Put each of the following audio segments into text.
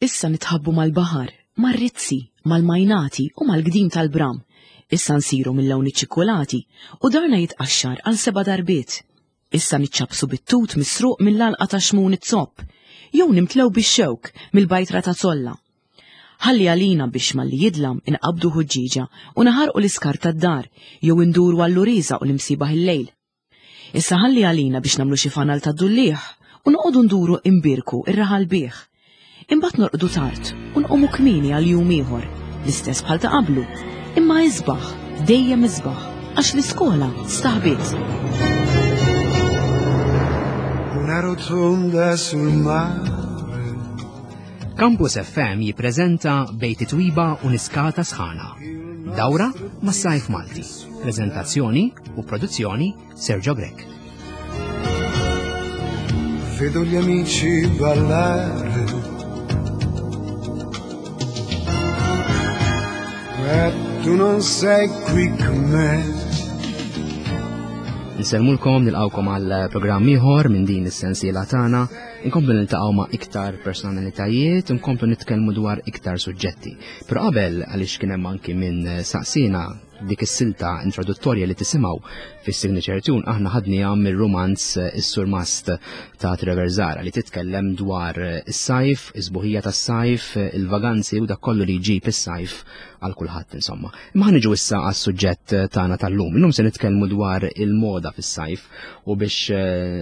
Issa nitħabbu mal-baħar, mar-rizzi, mal-majnati u mal-gdim tal-bram. Issa nsiru mill-lawn iċ-ċikkulati u darna jitqaxxar għal seba' darbiet. Issa niċċappsu bit-tut misruq mill-għalqa ta' Xmun iz-Zopp, jew nimtlew bix-xewk mill-bajtra ta' Zolla. Ħalli għalina biex malli jidlam inqabbdu ħuġġieġa u naħarqu l-iskart tad-dar jew induru għall-uriża u l-imsiebaħ il-lejl. Issa ħalli għalina biex nagħmlu xi fanal tad-dulliegħ u noqogħdu nduru imbierku r-raħal bih. Imbagħad norqdu tard u nqumu kmieni għal jum ieħor, l-istess bħal ta' qablu, imma isbaħ, dejjem isbaħ, għax l-iskola staħbiet. Una rotonda sul mare. Campus FM jippreżenta Bejt Twiba u Niskata Sħana. Dawra mas-sajf Malti. Prezentazzjoni u produzzjoni Sergio Grech. Vedo gli amici ballare. E tu non sei qui con me. Nsellmulkom nilqawkom għal programm ieħor minn din is-sensiela tagħna. Inkomplu niltaqgħu ma' iktar personalitajiet, inkomplu nitkellmu dwar iktar suġġetti. Però qabel għaliex kien hemm anki minn saqsina Dik is-silta introduttorja li tisimgħu fis-signature tune aħna ħadniha mir-rumanz eh, Is-Surmast ta' Trevor Zara li titkellem dwar eh, is-sajf, is-sbuħija tas-sajf, eh, il-vaganzi u dak kollu li jġib is-sajf għal kulħadd insomma. Imma ħaniġu issa għas-suġġett tagħna tal-lum. Illum se nitkellmu dwar il-moda fis-sajf u biex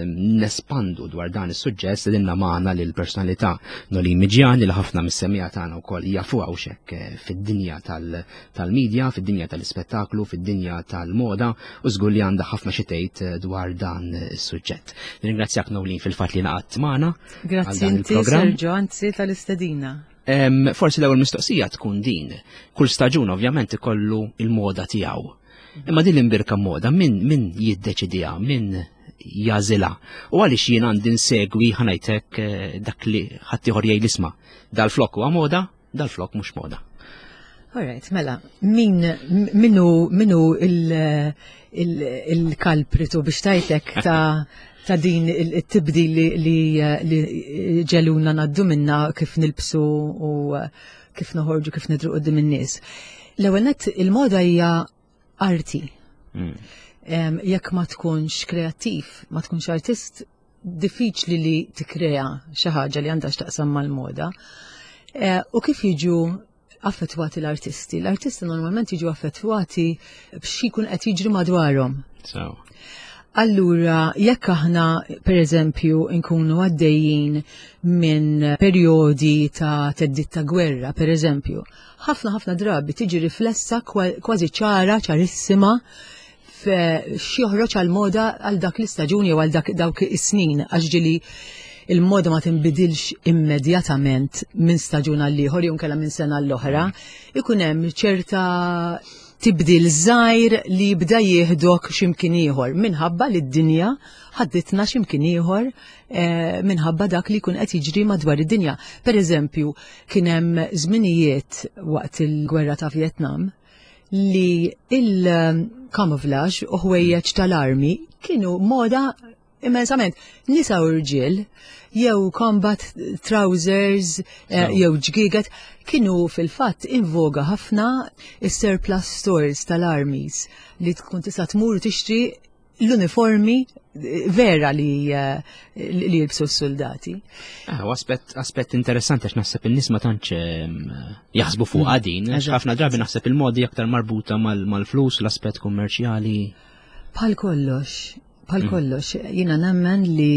nespandu dwar dan is-suġġett sedinna magħna lil personalità Noli Miġjan li ħafna mis-semija tagħna wkoll jafuha u xekk fid-dinja tal- tal-media, fid-dinja tal-ispettaklu, fid-dinja tal-moda u żgur li għandha ħafna xi tgħid eh, dwar dan is-suġġett. Nirringrazzjak Nowlin fil-fatt li naqgħadt magħna. Grazzi inti Sergio, anzi tal-istedina. Forsi l-ewwel mistoqsija tkun din. Kull staġun ovvjament ikollu il-moda tiegħu. Imma din l-imbirka moda min min jiddeċidiha, min jażilha. U għaliex jien għandi nsegwi ħanajtek eh, dak li ħaddieħor jgħid isma' dal-flok huwa moda, Dal-flok mhux moda. Alright, mela, min minu minu il-kalpritu il, il biex tajtek ta' ta' din il-tibdil li, li, li ġeluna naddu minna kif nilbsu u kif noħorġu kif nidru qudiem in-nies. L-ewwel nett il-moda hija arti. Mm. Jekk ma tkunx kreattiv, ma tkunx artist, diffiċli li tikkrea xi ħaġa li għandha x'taqsam mal-moda. Eh, u kif jiġu affettwati l-artisti? L-artisti normalment jiġu affettwati b'xi jkun qed jiġri madwarhom. So. Allura, jekk aħna, per eżempju, nkunu għaddejjin minn perjodi ta' teddit ta' gwerra, per eżempju, ħafna ħafna drabi tiġi riflessa kważi ċara, ċarissima, x'joħroġ għal moda għal dak l-istaġun jew għal dak dawk is-snin għax ġili il-moda ma tinbidilx immedjatament minn staġun għal ieħor jew nkella minn sena l-oħra, ikun hemm ċerta tibdil żgħir li jibda jieħdok x'imkien ieħor minħabba li d-dinja ħadditna x'imkien ieħor eh, minħabba dak li jkun qed jiġri madwar id-dinja. Per eżempju, kien hemm żminijiet waqt il-gwerra ta' Vietnam li il-camouflage u ħwejjeġ tal-armi kienu moda immensament. Nisa u rġiel, jew combat trousers, eh, jew ġgiget, kienu fil-fatt in voga ħafna is-surplus stores tal-armies li tkun tista' tmur tixtri l-uniformi eh, vera li, eh, li jilbsu s-soldati. Ah, aspett, aspett interessanti għax naħseb in-nies ma tantx ehm, jaħsbu fuq mm. din, għax ħafna drabi naħseb il-modi aktar marbuta mal-flus, l-aspett kummerċjali. Bħal kollox, bħal mm. kollox, jiena nemmen li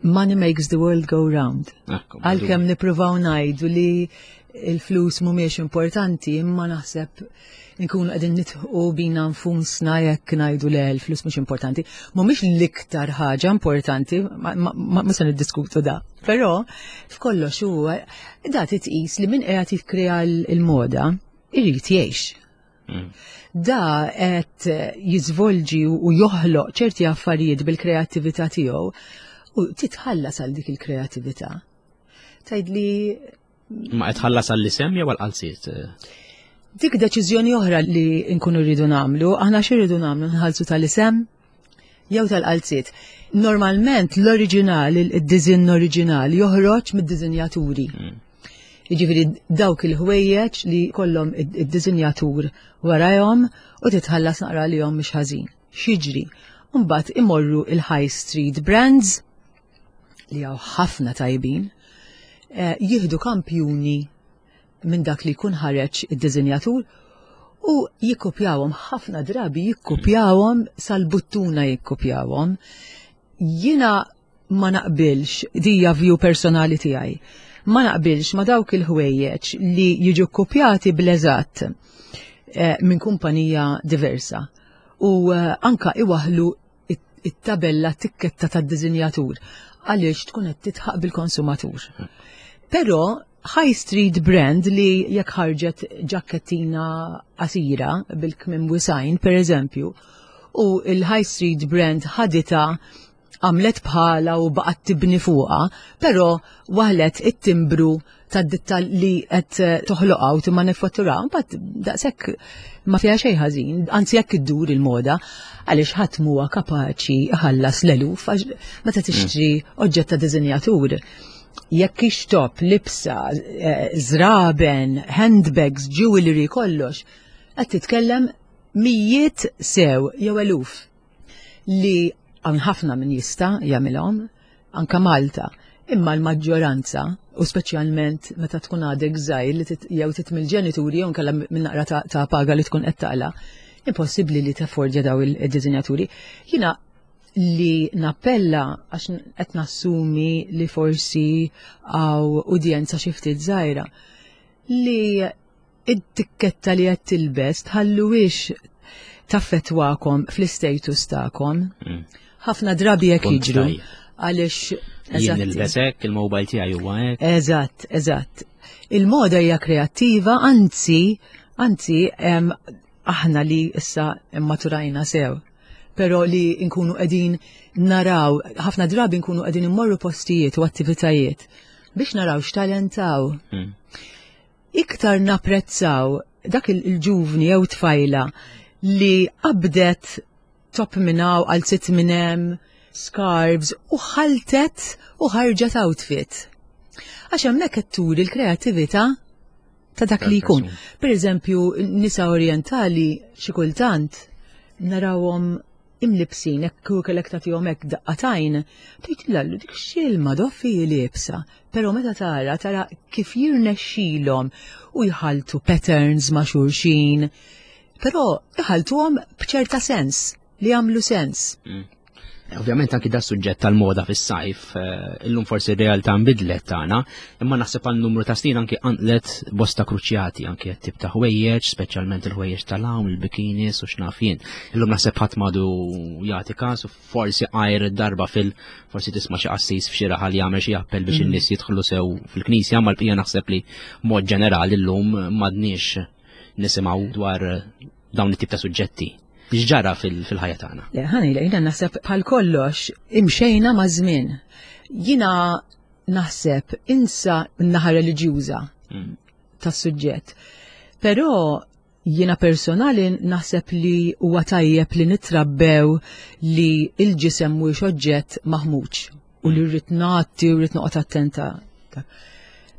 money makes the world go round. Għalkemm nippruvaw ngħidu li il-flus mhumiex importanti, imma naħseb nkunu qegħdin nitħu bina nfusna jekk ngħidu le l-flus mhux importanti. Mhumiex l-iktar ħaġa importanti, ma se niddiskutu da. Però f'kollox huwa da titqis li min qiegħed jikkrea l-moda irid jgħix. Mm. Da qed jiżvolġi u joħloq ċerti affarijiet bil-kreattività tiegħu u titħallas għal dik il-kreattività. Tgħid li Ma qed ħallas għall-isem jew għall-qalziet? Dik deċiżjoni oħra li nkunu rridu nagħmlu, aħna xi rridu nagħmlu nħallsu tal-isem jew tal-qalziet. Normalment l-oriġinal, id-diżinn oriġinali joħroġ mid-diżinjaturi. Mm. Jiġifieri dawk il-ħwejjeġ li kollhom id-disinjatur warajhom u titħallas naqra li mhux ħażin. X'jiġri? Mbagħad imorru il-high street brands li hawn ħafna tajbin, eh, jieħdu kampjuni minn dak li jkun ħareġ id-disinjatur u jikkopjawhom ħafna drabi jikkopjawhom sal-buttuna jikkopjawhom. Jiena ma naqbilx, dija view personali tiegħi, ma naqbilx ma dawk il-ħwejjeġ li jiġu kopjati bl-eżatt eh, minn kumpanija diversa u eh, anka iwaħlu it-tabella tikketta tad-diżinjatur għaliex tkun qed titħaq bil-konsumatur. Però high street brand li jekk ħarġet ġakkettina qasira bil-kmim wisajn, per eżempju, u il-high street brand ħadita għamlet bħala u baqgħet tibni fuqha, però waħlet it-timbru tad-ditta li qed eh, toħloqha u timmanifattura, mbagħad daqshekk ma fiha xejn ħażin, anzi jekk iddur il-moda, għaliex ħadd huwa kapaċi ħallas l-eluf għax meta tixtri oġġett ta' diżinjatur. Jekk ixtob, libsa, eh, żraben, handbags, jewelry, kollox, qed titkellem mijiet sew jew eluf li hawn ħafna min jista' jagħmilhom, anka Malta, imma l-maġġoranza, u speċjalment meta tkun għadek żgħir li jew titmil ġenituri jew nkella minn naqra ta' paga li tkun qed taqla, impossibbli li taffordja daw il-diżinjaturi. Jiena li nappella għax qed nassumi li forsi għaw udjenza xi ftit żgħira li id-tikketta li qed tilbes tħalluhiex taffettwakom fl-istatus tagħkom. Mm. Ħafna drabi hekk jiġru għaliex jien nilbes hekk, il-mobile tiegħi huwa hekk. Eżatt, eżatt. Il-moda hija kreattiva, anzi, anzi aħna li issa immaturajna sew pero li nkunu qegħdin naraw, ħafna drabi nkunu qegħdin immorru postijiet u attivitajiet biex naraw x'talentaw. Mm. Iktar napprezzaw dak il-ġuvni jew tfajla li qabdet top minn hawn għal sitt minn hemm, scarves u ħaltet u ħarġet outfit. Għax hemmhekk qed turi l-kreattività ta' dak li jkun. Per eżempju, nisa orientali xi kultant narawhom imlibsin, hekk kieku kellek tagħtihom hekk daqqatajn, tgħid lallu dik x'ilma doffi liebsa. Però meta tara, tara kif jirnexxilhom u jħaltu patterns ma' xulxin, però jħaltuhom b'ċerta sens li jagħmlu sens. Mm. Ovvjament anki da suġġett tal-moda fis-sajf, eh, illum forsi r-realtà nbidlet tagħna, imma naħseb għal numru ta' snin anki qanqlet bosta kruċjati anki qed tip ta' ħwejjeġ, speċjalment il-ħwejjeġ tal-hawn, il-bikinis u x'naf jien. Illum naħseb ħadd madu jagħti każ u forsi għajr darba fil forsi tisma' xi qassis f'xi raħal jagħmel xi appell biex mm. in-nies jidħlu sew fil-knisja, ma l-bqija naħseb li mod ġenerali llum m'għadniex nisimgħu dwar dawn it-tip ta' suġġetti. X'ġara fil-ħajja tagħna? Le, ħani, jiena naħseb bħal kollox imxejna ma' żmien. Jiena naħseb insa n-naħa reliġjuża mm. tas-suġġett. Però jiena personali naħseb li huwa tajjeb li nitrabbew li il-ġisem mhuwiex oġġett maħmuġ u li rrid nagħti u rrid noqgħod attenta.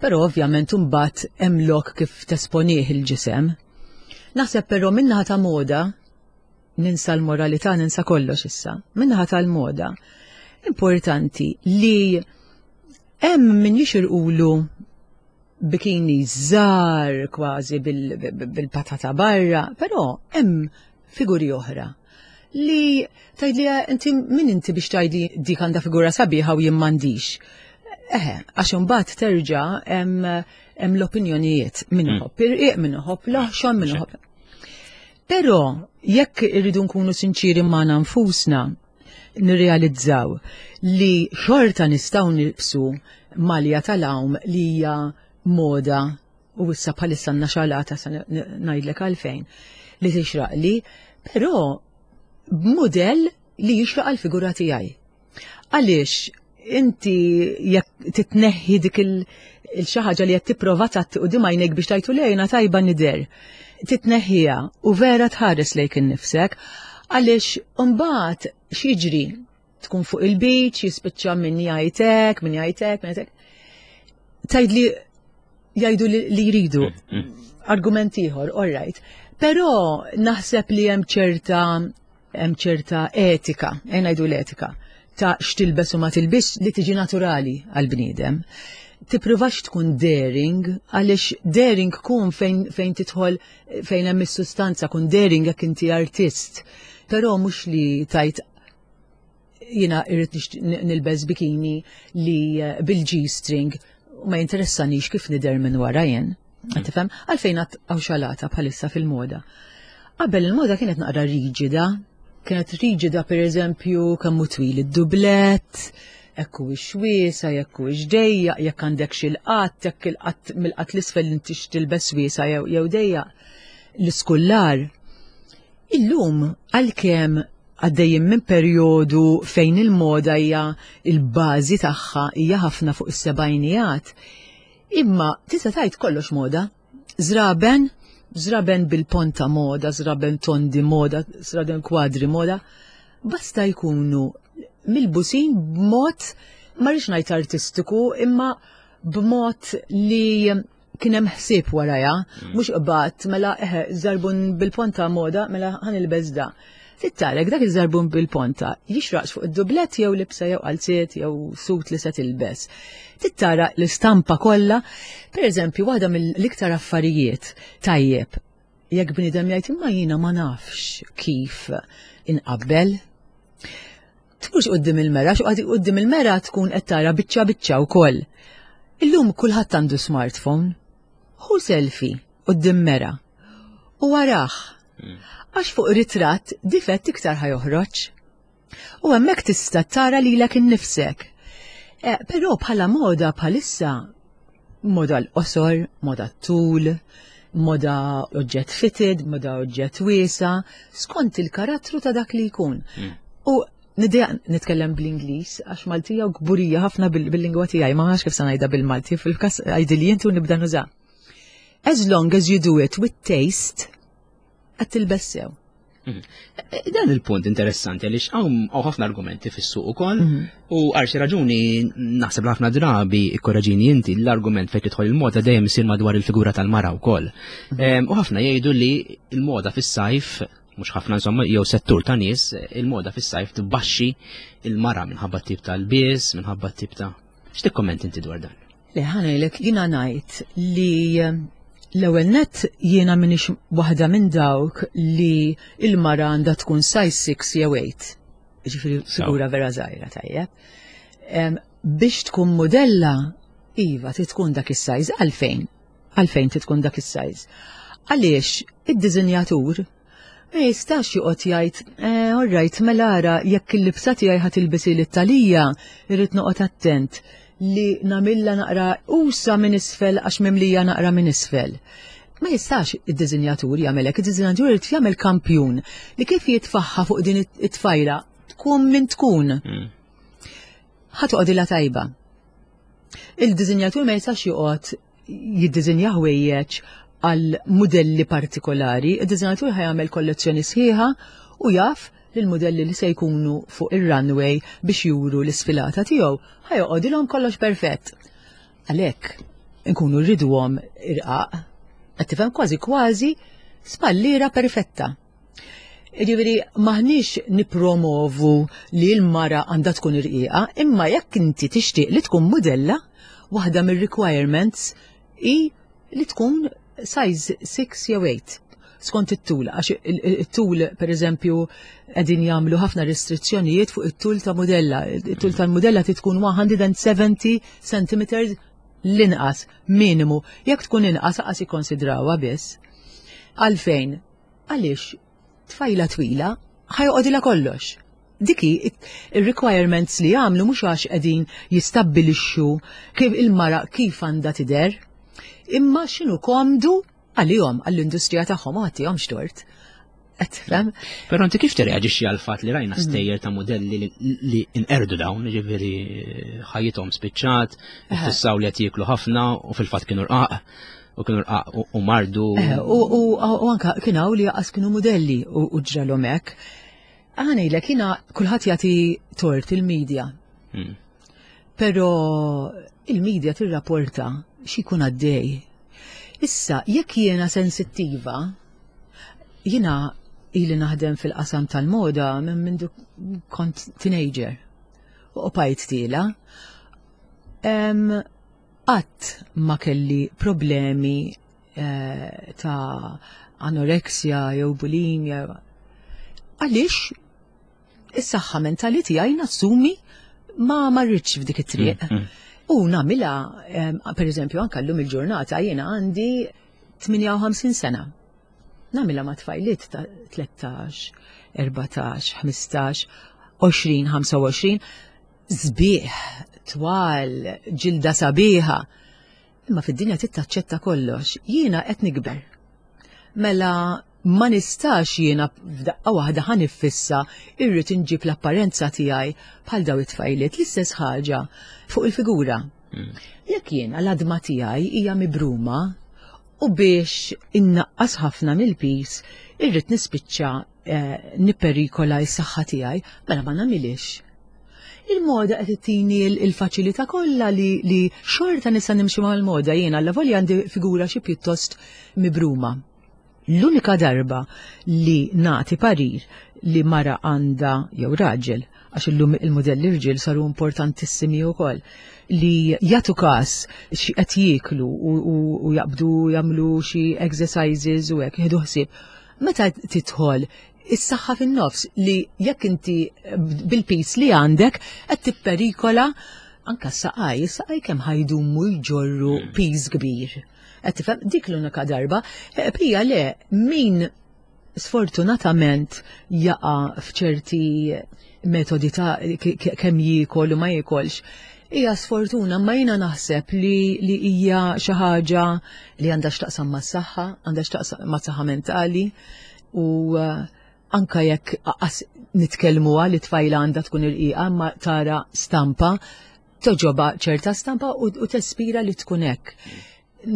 Però ovvjament imbagħad hemm lok kif tesponih il-ġisem. Naħseb però minnaħa ta' moda, ninsa l-moralità, ninsa kollox issa, minnaħa tal-moda, importanti li hemm min jixirqulu bikini żgħar kważi bil-patata barra, però hemm figuri oħra li tgħidli inti min inti biex tgħidli dik għandha figura sabiħa u jien m'għandix. Eħe, għax imbagħad terġa' hemm l-opinjonijiet min mm. iħobb irqiq, min iħobb laħxon, min iħobb. Però jekk irridu nkunu sinċiri magħna nfusna, nirrealizzaw li xorta nistgħu nilbsu malja tal-għawm li hija moda u issa bħalissa għandna xalata sa ngħidlek għalfejn li tixraqli, però b'mudell li jixraq għall-figura tiegħi. Għaliex inti jekk titneħħi dik il-xi ħaġa li qed tipprova tgħatti quddiem għajnejk biex tajtu lejna tajba nidher. Titneħħiha u vera tħares lejk innifsek għaliex imbagħad x'jiġri tkun fuq il-beach, jispiċċa min jgħidek, min jgħidek, min jgħidek. Tgħidli. Jgħidu li jridu. Argument ieħor, all right. Però naħseb li hemm ċerta hemm ċerta etika, e ngħidu l-etika, ta' x'tilbes u ma tilbis li tiġi naturali għal-bniedem. Tippruvax tkun daring, għaliex daring kun fejn, fejn tidħol fejn hemm is-sustanza, kun daring jekk inti artist. Però mhux li tajt jiena irrid nilbes bikini li eh, bil-G-string u ma jinteressanix kif nidher minn wara jien. Tifhem? Għalfejn għad hawn xalata bħalissa fil-moda. Qabel il-moda kienet naqra riġida, kienet riġida per eżempju kemm hu twil id-dublett, jekk huwiex wiesa, jekk huwiex dejjaq, jekk għandek xi l-qatt, jekk il-qatt mill-qatt l-isfel intix tilbes wiesa jew jew dejjaq. L-iskullar. Illum għalkemm għaddejjin minn perjodu fejn il-moda hija il-bażi tagħha hija ħafna fuq is-sebgħinijat, imma tista' tgħid kollox moda. Żraben, żraben bil-ponta moda, żraben tondi moda, żraben kwadri moda, basta jkunu milbusin b'mod ma rridx ngħid artistiku imma b'mod li kien hemm ħsieb warajha, mm. mhux qbad mela eħe żarbun bil-ponta moda mela ħan ilbeż da. Tittarek dak iż-żarbun bil-ponta jixraqx fuq id-dublett jew libsa jew qalziet jew sut li se tilbes. Tittara l-istampa kollha, pereżempju waħda mill-iktar affarijiet tajjeb jekk bniedem jgħid imma jiena ma nafx kif inqabbel. Tmurx quddiem il-mera, xi quddiem il-mera tkun qed tara biċċa biċċa wkoll. Illum kulħadd għandu smartphone. Hu selfie quddiem mera. U waraħ. Hmm. Għax fuq ritratt difett iktar ħajoħroġ. U hemmhekk tista' tara lilek innifsek. Eh, però bħala moda bħalissa moda l-qosor, moda t-tul, moda oġġett fitted, moda oġġett wiesa, skont il-karattru ta' dak li jkun. Hmm. U nidejaq nitkellem bl-Ingliż għax Maltija u kburija ħafna bil-lingwa tiegħi, ma nafx kif se ngħidha bil-Malti, fil-każ għidili inti u nibda nuża. As long as you do it with taste, qed tilbes sew. Mhm. E, e, dan il-punt interessanti għaliex hawn ħafna argumenti fis-suq ukoll mhm. u għal xi raġuni naħseb ħafna drabi ikkoraġini inti l-argument fejn tidħol il-moda dejjem isir madwar il-figura tal-mara wkoll. Mhm. U ħafna jgħidu li il-moda fis-sajf mhux ħafna insomma jew settur ta' nies il-moda fis-sajf tbaxxi il-mara minħabba tip tal-bies, minħabba tip ta' X'tikkomment inti dwar dan? Le ħanajlek jiena ngħid li eh, l-ewwel nett jiena minix waħda minn dawk li il-mara għandha tkun size 6 jew 8. Ġifieri figura vera żgħira tajjeb. Biex tkun modella, iva, trid tkun dak is-size għalfejn. Għalfejn trid tkun dak is-size. Għaliex id-diżinjatur Ma jistax joqgħod jgħid, eh, all right, mela ara jekk il-libsa tiegħi ħa tilbisi lit-talija, irrid noqgħod attent li nagħmilha naqra usa minn isfel għax mimlija naqra minn isfel. Ma jistax id-diżinjatur jagħmel hekk, id-diżinjatur irid jagħmel kampjun li kif jitfaħħa fuq din it-tfajla tkun min tkun. Mm. Ħa toqgħodilha tajba. Il-diżinjatur ma jistax joqgħod jiddiżinja ħwejjeġ għal mudelli partikolari, id-diżinjatur ħajamel kollezzjoni sħiħa u jaf li l-mudelli li se jkunu fuq ir-runway biex juru l-isfilata tiegħu ħajoqgħodilhom kollox perfett. Għalhekk inkunu rriduhom irqaq, qed tifhem kważi kważi spalliera perfetta. Ġifieri maħniex nipromovu li l-mara għandha tkun irqiqa, imma jekk inti tixtieq li tkun mudella, waħda mir-requirements hi li tkun size 6 jew 8 skont it-tul, għax it-tul per eżempju qegħdin jagħmlu ħafna restrizzjonijiet fuq it-tul ta' mudella. It-tul tal-mudella trid tkun 170 cm l-inqas, minimu. Jekk tkun inqas aqas ikkonsidrawha biss. Għalfejn? Għaliex tfajla twila ħajoqgħodilha kollox. Dik hi ir-requirements li jagħmlu mhux għax qegħdin jistabbilixxu kif il-mara kif għandha tidher, imma x'inhu komdu għalihom għall-industrija tagħhom u ħaddihomx tort. Qed tifhem? Però inti kif tirreaġixxi għal fatt li rajna mhm. stejjer ta' modelli li inqerdu dawn, ġifieri ħajjithom spiċċat, fissaw li qed jieklu ħafna u fil-fatt kienu rqaq. u kienu rqaq u mardu. Eh, u anka kien hawn li jaqas kienu modelli u ġralhom hekk. Għanejlek jiena kulħadd jagħti tort il-medja. Hmm. Però il-medja tirrapporta. X'ikun għaddej. Issa, jekk jiena sensittiva, jiena ili naħdem fil-qasam tal-moda minn mindu kont teenager u bqajt tiela. Qatt ma kelli problemi eh, ta' anoreksja jew bulimia. Għaliex is-saħħa mentali tiegħi nassumi ma marritx f'dik it-triq. U nagħmilha, per eżempju, anke llum il-ġurnata jiena għandi 58 sena. Nagħmilha ma' tfajliet ta' 13, 14, 15, 20, 25, sbieħ, twal, ġilda sabiħa. Imma fid-dinja trid taċċetta kollox. Jiena qed nikber. Mela ma nistax jiena f'daqqa waħda ħa niffissa irrid inġib l-apparenza tiegħi bħal daw it-tfajliet l-istess ħaġa fuq il-figura. Jekk jiena l-għadma tiegħi hija mibruma u biex innaqqas ħafna mill-pis irrid nispiċċa eh, nipperikola s-saħħa tiegħi, mela ma nagħmilix. Il-moda qed ittini l-faċilità kollha li, li xorta nista' nimxi mal-moda jiena alla volja għandi figura xi pjuttost mibruma. L-unika darba li nagħti parir li mara għandha jew raġel, għax illum il-mudelli rġiel saru importantissimi wkoll, li jagħtu każ xi qed jieklu u jaqbdu jagħmlu xi exercises u hekk jieħdu ħsieb. Meta tidħol is-saħħa fin-nofs li jekk inti bil-pis li għandek qed tipperikola anka s-saqaj, is-saqaj kemm ħajdumu jġorru pis kbir. Qed tifhem dik l-unika darba. Eh, Pija le, min sfortunatament jaqa' f'ċerti metodi ta' kemm jiekol u ma jiekolx. Hija sfortuna, ma jiena naħseb li, li hija xi ħaġa li għandha x'taqsam mas-saħħa, għandha x'taqsam mas-saħħa mentali u eh, anka jekk nitkellmuha li tfajla għandha tkun irqiqa ma tara stampa toġoba ċerta stampa u, u tespira li tkun hekk.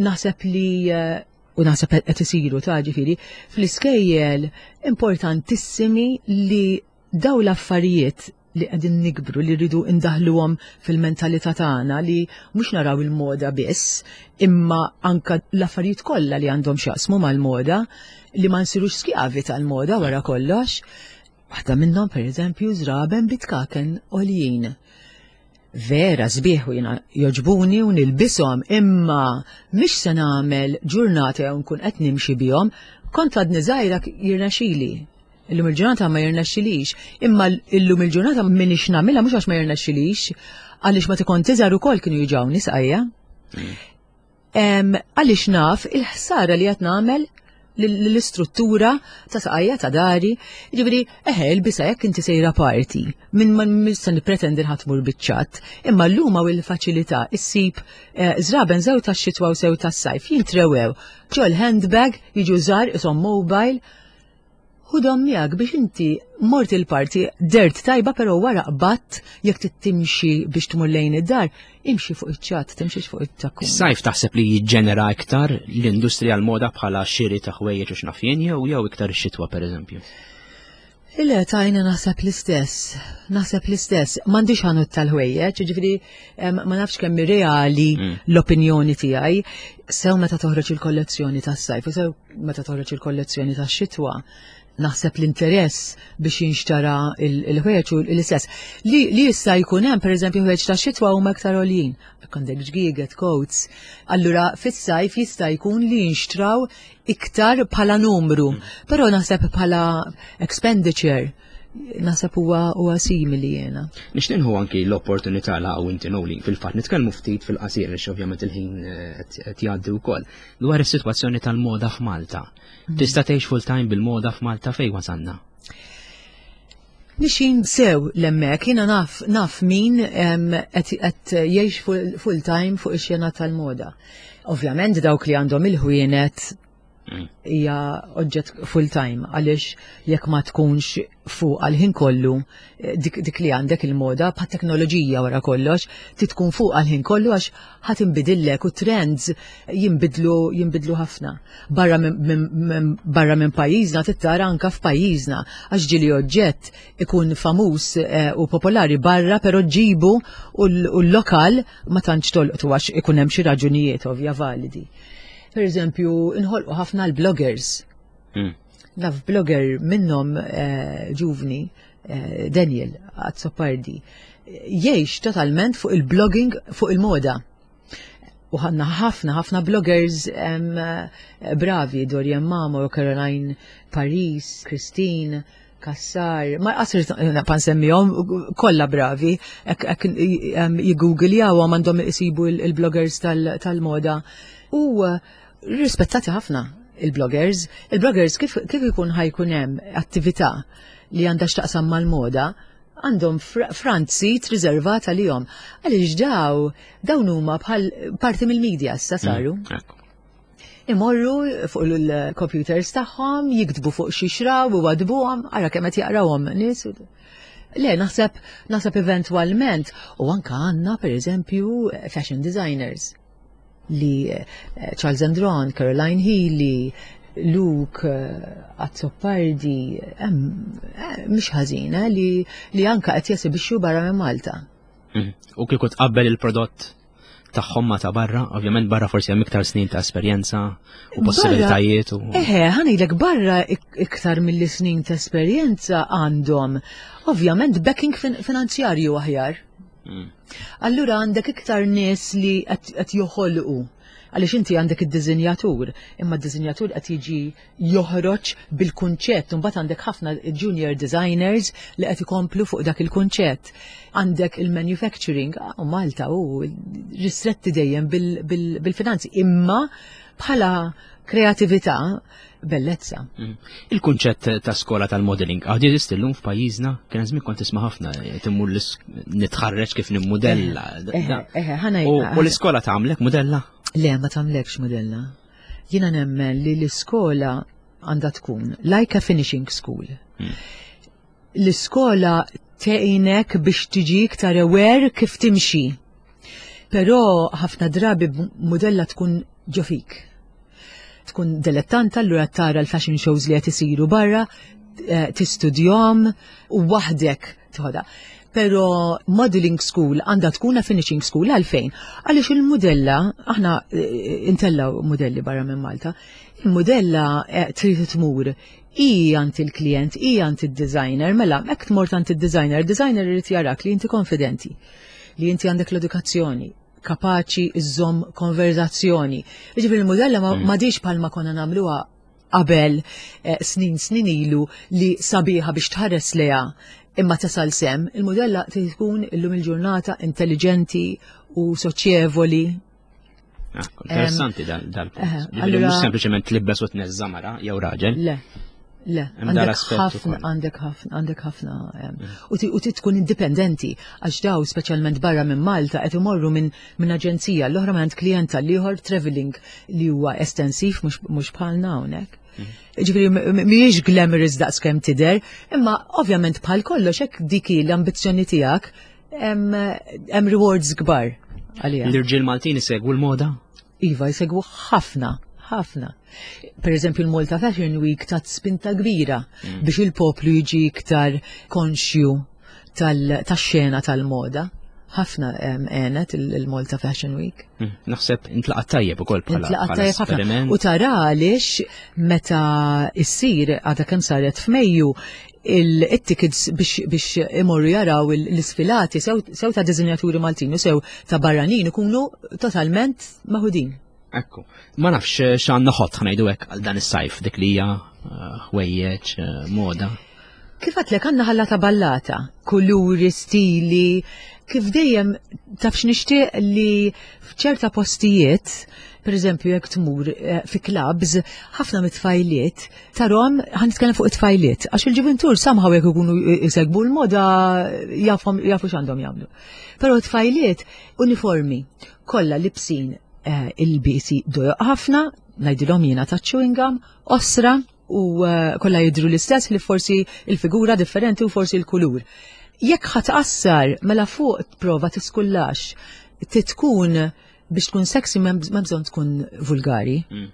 Naħseb li eh, u naħseb qed isiru ta' ġifieri fl-iskejjel importantissimi li daw l-affarijiet li qegħdin nikbru li rridu indaħluhom fil-mentalità tagħna li mhux naraw il-moda biss, imma anka l-affarijiet kollha li għandhom x'jaqsmu mal-moda li ma nsirux skjavi tal-moda wara kollox. Waħda minnhom pereżempju żraben bitkaken għoljin. Vera sbieħ u jiena joġbuni u nilbishom imma mhix se nagħmel ġurnata jew nkun qed nimxi bihom, kont għadni żgħira jirnexxili. Illum il-ġurnata ma jirnexxilix, imma illum il-ġurnata m'iniex nagħmilha mhux għax ma jirnexxilix, għaliex meta kont iżgħar ukoll kienu jiġawni sqajja. Għaliex naf il-ħsara li qed nagħmel l-istruttura ta' saqajja ta' dari, ġifieri eħe il-bisa jekk inti sejra party, minn ma nista' nippretendi ħadd mur biċ-ċatt, imma llum hawn il-faċilità issib eh, żraben sew tax-xitwa u sew tas-sajf jintrewew ġol handbag jiġu żgħar ishom mobile Ħudhom miegħek biex inti mort il-party dert tajba però wara qbadt jekk trid timxi biex tmur lejn id-dar, imxi fuq iċ-ċatt, timxix fuq it-takkun. Is-sajf taħseb li jiġġenera iktar l-industrija l-moda bħala xiri ta' ħwejjeġ u x'naf jien jew jew iktar ix-xitwa pereżempju? Le, tajna naħseb l-istess, naħseb l-istess. M'għandix ħanut tal-ħwejjeġ, ġifieri ma nafx kemm reali l-opinjoni tiegħi. Sew meta toħroġ il-kollezzjoni tas-sajf u sew meta toħroġ il-kollezzjoni tax-xitwa, naħseb l-interess biex jinxtara il-ħwejjeġ u l-istess. Li, li jista' jkun hemm pereżempju ħwejjeġ tax-xitwa huma iktar għoljin. Jekk għandek ġgieget, coats. Allura fis-sajf jista' jkun li jinxtraw iktar bħala numru, però naħseb bħala expenditure naħseb huwa huwa simili jiena. Nixtieq nħu anki l-opportunità la u inti Noli fil-fatt nitkellmu ftit fil-qasir għax ovvjament il-ħin eh, qed jgħaddi wkoll dwar is-sitwazzjoni tal-moda f'Malta. Tista' tgħix full time bil-moda f'Malta fejn wasalna? Mixin sew l-emmek, jiena naf, naf min qed jgħix full time fuq ix-xena tal-moda. Ovvjament dawk li għandhom il-ħwienet. Hija oġġett full time għaliex jekk ma tkunx fuq għal-ħin kollu eh, dik, dik li għandek il-moda bħat teknoloġija wara kollox, ti tkun fuq għal-ħin kollu għax ħadd inbidillek u trends jinbidlu jinbidlu ħafna. Barra minn barra minn pajjiżna tittara anka f'pajjiżna għax ġieli oġġett ikun famuż eh, u popolari barra però ġibu u l-lokal ma tantx tolqtu għax ikun hemm xi raġunijiet ovvja validi. Per eżempju, inħolqu ħafna l-bloggers. Naf blogger minnhom eh, ġuvni, eh, Daniel Azzopardi, jgħix totalment fuq il-blogging fuq il-moda. U ħanna ħafna ħafna bloggers eh, bravi, Dorian Mamo, Caroline Paris, Christine, Kassar, ma qasir pan semmihom kollha bravi, hekk jiggoogljawhom għandhom isibu il-bloggers tal-moda. U rispettati ħafna il-bloggers. Il-bloggers kif, kif ikun ħajkun hemm attività li għandha x'taqsam mal-moda, għandhom front seat riservat għalihom. Għaliex daw, dawn huma bħal parti mill-media issa saru. Mm, Imorru fuq il-computers tagħhom, jiktbu fuq xi xraw u wadbuhom, ara kemm qed jaqrawhom nies. Le, naħseb naħseb eventwalment u anka għandna pereżempju fashion designers li eh, Charles Andron, Caroline Healy, Luke, eh, Azzopardi, eh, mhix ħażina li, li anka qed jesibixxu barra minn Malta. Mm. U kieku tqabbel il-prodott tagħhom ma ta' barra, ovvjament barra forsi hemm iktar snin ta' esperjenza u possibilitajiet u. Eħe, ħanilek barra iktar mill snin ta' esperjenza għandhom ovvjament backing finanzjarju aħjar. Mm. Allura għandek iktar nies li qed joħolqu għaliex inti għandek id-dizinjatur, imma d-dizinjatur qed jiġi joħroġ bil-kunċett, imbagħad għandek ħafna junior designers li qed ikomplu fuq dak il-kunċett. Għandek il-manufacturing, ah, u Malta u ristretti dejjem bil-finanzi, imma bħala kreatività bellezza. Mm. Il-kunċett ta' skola tal-modeling għad jeżisti llum f'pajjiżna, kien żmien kont tisma' ħafna eh, timmur nitħarreġ kif nimmudella. Eh, eh, u l-iskola tagħmlek mudella? Le, ma tagħmlekx mudella. Jiena nemmen li l-iskola għandha tkun like a finishing school. Hmm. L-iskola tgħinek biex tiġi iktar aware kif timxi. Però ħafna drabi mudella tkun ġo fik. Tkun dilettanta allura tara l-fashion shows li qed isiru barra, eh, tistudjom u waħdek tħoda. Pero modeling school għandha tkun a finishing school għalfejn? Għaliex il-modella, aħna eh, intellaw modelli barra minn Malta, il-modella eh, trid tmur i għand il-klient, i għand il-designer, mela, hekk tmort għand il-designer, il-designer irid jarak li inti konfidenti, li inti għandek l-edukazzjoni, kapaċi iżżomm konverzazzjoni. Jiġifieri il-modella ma mm. diġ bħalma konna nagħmluha qabel eh, snin snin ilu li sabiħa biex tħares leha imma tasal sem, il-modella tkun illum il-ġurnata intelligenti u soċjevoli. Ah, interessanti dal-punt. Eh, Ġifieri mhux sempliċement tlibbes u tneżża mara jew raġel. Le. Le, għandek ħafna, għandek ħafna, għandek ħafna. Mm. U tkun indipendenti, għax daw speċjalment barra minn Malta qed imorru minn minn aġenzija l-oħra minn klient tal-ieħor traveling li huwa estensiv mhux bħalna hawnhekk. Mm. Ġifieri mhijiex glamorous daqs kemm tidher, imma ovvjament bħal kollox hekk dik l-ambizzjoni tiegħek hemm rewards kbar għalija. L-irġiel Maltin isegwu l-moda? Iva, jsegwu ħafna, ħafna. Per eżempju, l-Malta Fashion Week tat spinta kbira mm. biex il-poplu jiġi iktar konxju tax-xena tal-moda. Ħafna għenet il-Malta Fashion Week. Mm, naħseb intlaqat tajjeb ukoll bħala intlaqat tajjeb ħafna. U tara għaliex meta issir għadha kemm saret f'Mejju il-tickets biex imorru jaraw l-isfilati sew ta' dizinjaturi Maltin u sew ta' barranin ikunu totalment maħudin. Ekku, ma nafx eh, x'għandna ħodd ħanajdu hekk għal dan is-sajf dik li hija eh, ħwejjeġ eh, moda. Kif għatlek għandna ħallata ballata, kuluri, stili, kif dejjem taf x'nixtieq li f'ċerta postijiet, per eżempju jekk tmur eh, fi clubs, ħafna mit-tfajliet tarhom ħan nitkellem fuq it-tfajliet, għax il-ġuventur somehow jekk ikunu jsegbu l-moda jafhom jafu x'għandhom jagħmlu. Però t-tfajliet uniformi, kollha libsin eh, il-bisi dojoq ħafna, ngħidilhom jiena ta' chewing gum, osra u eh, kollha jidhru l-istess li forsi il-figura differenti u forsi l-kulur. Jekk ħa tqassar mela fuq prova tiskullax, titkun biex tkun sexy m'hemm bżonn tkun vulgari. Mm.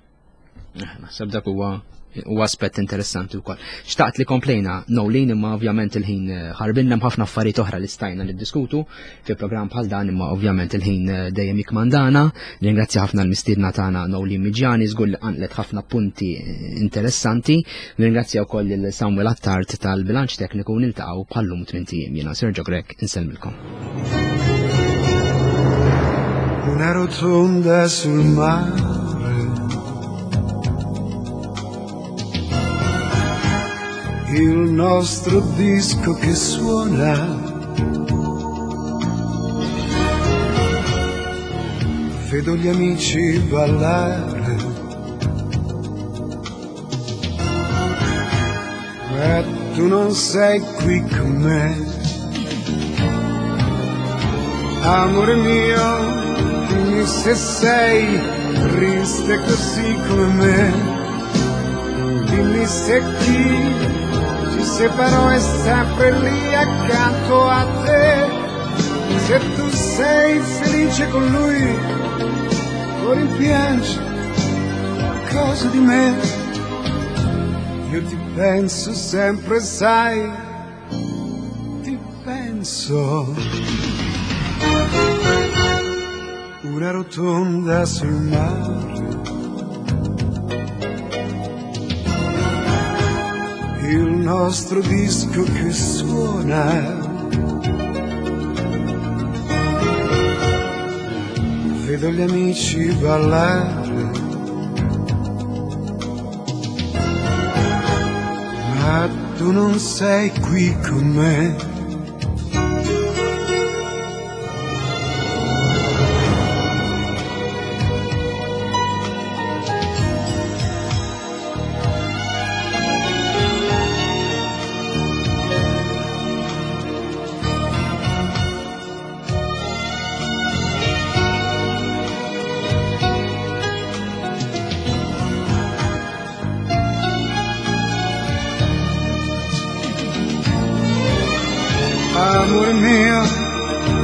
Eh, naħseb dak huwa u aspett interessanti wkoll. Xtaqt li komplejna Nolin imma ovvjament il-ħin eh, ħarbinna ħafna affarijiet oħra li stajna niddiskutu fi programm bħal dan imma ovvjament il-ħin eh, dejjem jikmandana. Ringrazzja ħafna l-mistiedna tagħna Nolin Miġjani żgur li qanqlet ħafna punti eh, interessanti. Ringrazzja wkoll lil Samuel Attard tal-bilanċ tekniku niltaqgħu bħallum tmien ijiem. Jiena Sergio Grek insellmilkom. Una rotonda sul mare Il nostro disco che suona Vedo gli amici ballare Ma tu non sei qui con me Amore mio, dimmi se sei triste così come me. Dimmi se chi ci separò è sempre lì accanto a te. Se tu sei felice con lui, o rimpiangi qualcosa di me. Io ti penso sempre, sai, ti penso. Una rotonda sul mare. Il nostro disco che suona. Vedo gli amici ballare. Ma tu non sei qui con me. Amore mio,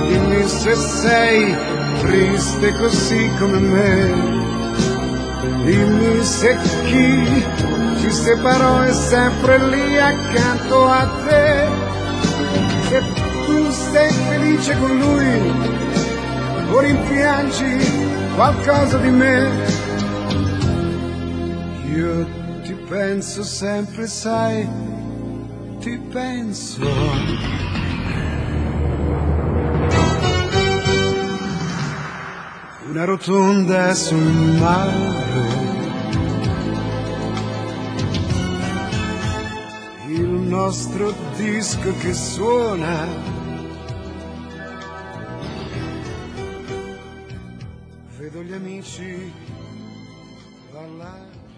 dimmi se sei triste così come me. Dimmi se chi ci separò è sempre lì accanto a te. Se tu sei felice con lui o rimpiangi qualcosa di me. Io ti penso sempre, sai, ti penso. Una rotonda sul mare. Il nostro disco che suona. Vedo gli amici ballare.